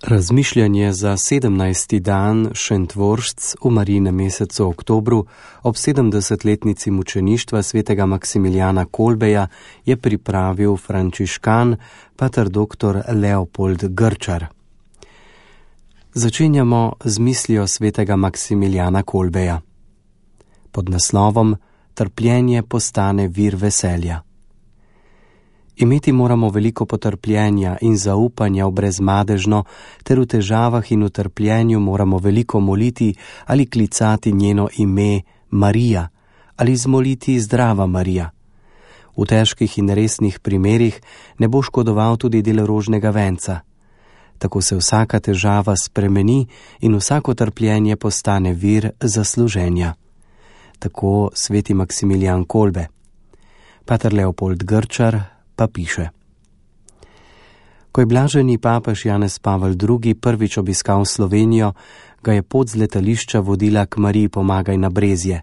Razmišljanje za 17. dan Šentvoršc v Marijinem mesecu oktobru ob 70-letnici mučeništva svetega Maksimilijana Kolbeja je pripravil frančiškan pater dr. Leopold Grčar. Začenjamo z mislijo svetega Maksimilijana Kolbeja. Pod naslovom Trpljenje postane vir veselja. Imeti moramo veliko potrpljenja in zaupanja v brezmadežno, ter v težavah in v trpljenju moramo veliko moliti ali klicati njeno ime Marija ali zmoliti Zdrava Marija. V težkih in resnih primerih ne bo škodoval tudi del rožnega venca. Tako se vsaka težava spremeni in vsako trpljenje postane vir zasluženja. Tako sveti Maksimilijan Kolbe. Pater Leopold Grčar pa piše: Ko je blaženi papež Janez Pavel II. Prvič obiskal Slovenijo, ga je pot z letališča vodila k Mariji Pomagaj na Brezje.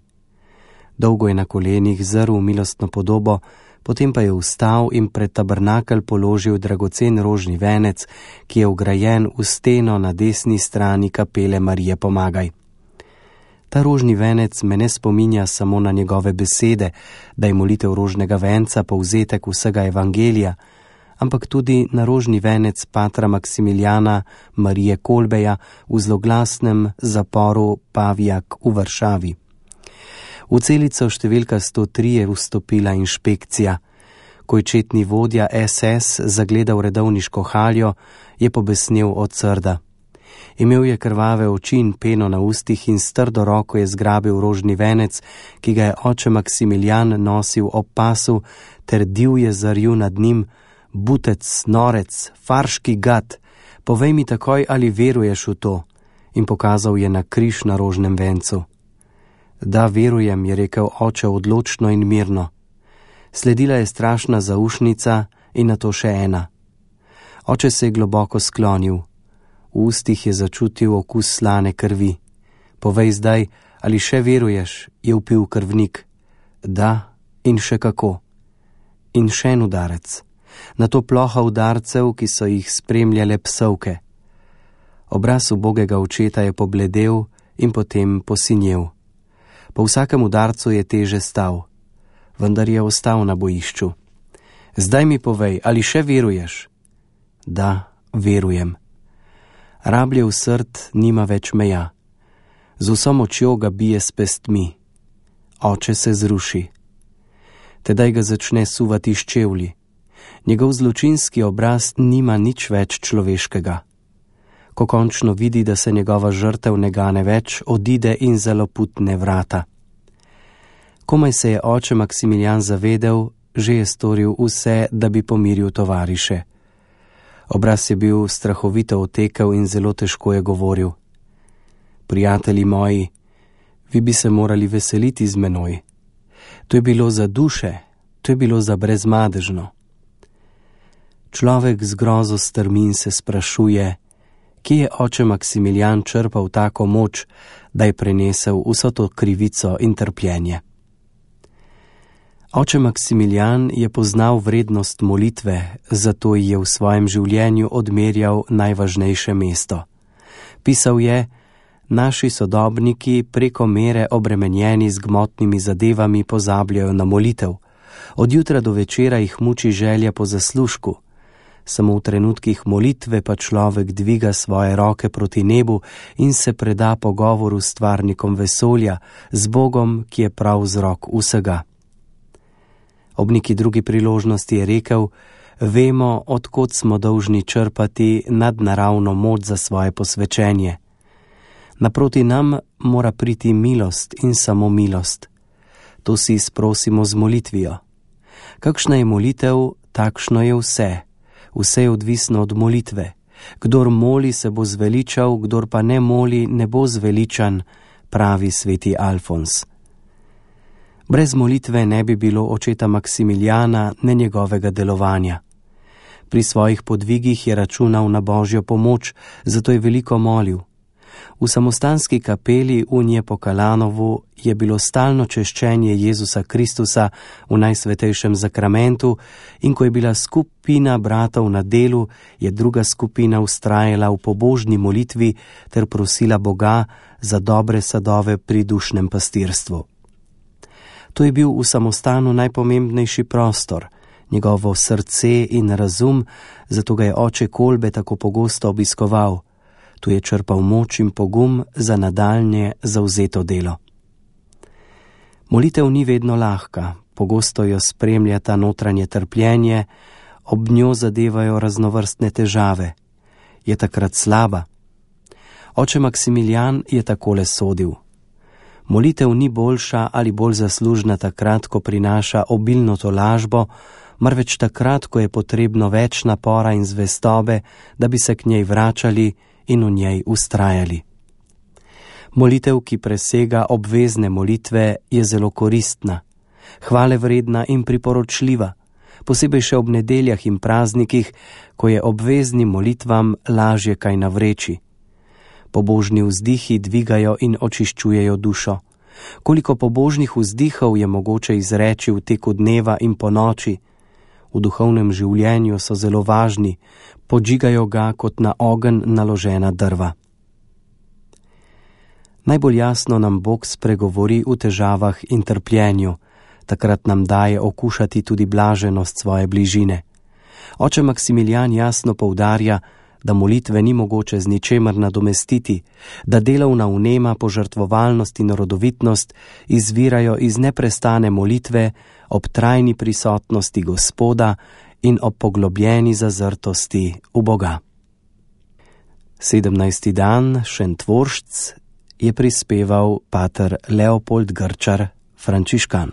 Dolgo je na kolenih zrl milostno podobo, potem pa je vstal in pred tabernakelj položil dragocen rožni venec, ki je vgrajen v steno na desni strani kapele Marije Pomagaj. Ta rožni venec me ne spominja samo na njegove besede, da je molitev rožnega venca povzetek vsega evangelija, ampak tudi na rožni venec patra Maksimilijana Marije Kolbeja v zloglasnem zaporu Pavijak v Varšavi. V celico številka 103 je vstopila inšpekcija. Ko je četni vodja SS zagledal redovniško haljo, je pobesnel od srda. Imel je krvave oči in peno na ustih in s trdo roko je zgrabil rožni venec, ki ga je oče Maksimilijan nosil ob pasu, ter divje zarju nad njim: Butec, norec, farški gad, povej mi takoj, ali veruješ v to, in pokazal je na križ na rožnem vencu. Da, verujem, je rekel oče odločno in mirno. Sledila je strašna zaušnica in nato še ena. Oče se je globoko sklonil. V ustih je začutil okus slane krvi. Povej zdaj, ali še veruješ, je vpil krvnik. Da, in še kako. In še en udarec. Nato ploha udarcev, ki so jih spremljale psovke. Obraz ubogega očeta je pobledel in potem posinjel. Po vsakem udarcu je teže stal, vendar je ostal na bojišču. Zdaj mi povej, ali še veruješ? Da, verujem. Rabljev srd nima več meja. Z vso močjo ga bije s pestmi. Oče se zruši. Tedaj ga začne suvati s čevlji. Njegov zločinski obraz nima nič več človeškega. Ko končno vidi, da se njegova žrtev ne gane več, odide in zaloputne vrata. Komaj se je oče Maksimilijan zavedel, že je storil vse, da bi pomiril tovariše. Obraz je bil strahovito otekel in zelo težko je govoril. Prijatelji moji, vi bi se morali veseliti z menoj. To je bilo za duše, to je bilo za brezmadežno. Človek z grozo strmi in se sprašuje, kje je oče Maksimilijan črpal tako moč, da je prenesel vso to krivico in trpljenje. Oče Maksimilijan je poznal vrednost molitve, zato ji je v svojem življenju odmerjal najvažnejše mesto. Pisal je: naši sodobniki preko mere obremenjeni z gmotnimi zadevami pozabljajo na molitev. Od jutra do večera jih muči želja po zaslužku. Samo v trenutkih molitve pa človek dviga svoje roke proti nebu in se preda pogovoru s stvarnikom vesolja, z Bogom, ki je prav vzrok vsega. Ob neki drugi priložnosti je rekel: vemo, od kod smo dolžni črpati nadnaravno moč za svoje posvečenje. Naproti nam mora priti milost in samo milost. To si sprosimo z molitvijo. Kakšna je molitev, takšno je vse. Vse je odvisno od molitve. Kdor moli, se bo zveličal, kdor pa ne moli, ne bo zveličan, pravi sveti Alfons. Brez molitve ne bi bilo očeta Maksimilijana, ne njegovega delovanja. Pri svojih podvigih je računal na Božjo pomoč, zato je veliko molil. V samostanski kapeli v Njepokalanovu je bilo stalno češčenje Jezusa Kristusa v Najsvetejšem zakramentu in ko je bila skupina bratov na delu, je druga skupina vztrajala v pobožni molitvi ter prosila Boga za dobre sadove pri dušnem pastirstvu. To je bil v samostanu najpomembnejši prostor, njegovo srce in razum, zato ga je oče Kolbe tako pogosto obiskoval. Tu je črpal moč in pogum za nadaljnje zavzeto delo. Molitev ni vedno lahka, pogosto jo spremljata notranje trpljenje, ob njo zadevajo raznovrstne težave. Je takrat slaba? Oče Maksimilijan je takole sodil. Molitev ni boljša ali bolj zaslužna takrat, ko prinaša obilno tolažbo, marveč takrat, ko je potrebno več napora in zvestobe, da bi se k njej vračali in v njej ustrajali. Molitev, ki presega obvezne molitve, je zelo koristna, hvalevredna in priporočljiva, posebej še ob nedeljah in praznikih, ko je obveznim molitvam lažje kaj navreči. Pobožni vzdihi dvigajo in očiščujejo dušo. Koliko pobožnih vzdihov je mogoče izreči v teku dneva in po noči? V duhovnem življenju so zelo važni, podžigajo ga kot na ogenj naložena drva. Najbolj jasno nam Bog spregovori v težavah in trpljenju, takrat nam daje okušati tudi blaženost svoje bližine. Oče Maksimilijan jasno poudarja, da molitve ni mogoče z ničemer nadomestiti, da delovna vnema, požrtvovalnost in rodovitnost izvirajo iz neprestane molitve ob trajni prisotnosti Gospoda in ob poglobljeni zazrtosti v Boga. 17. dan Šentvoršc je prispeval pater Leopold Grčar, frančiškan.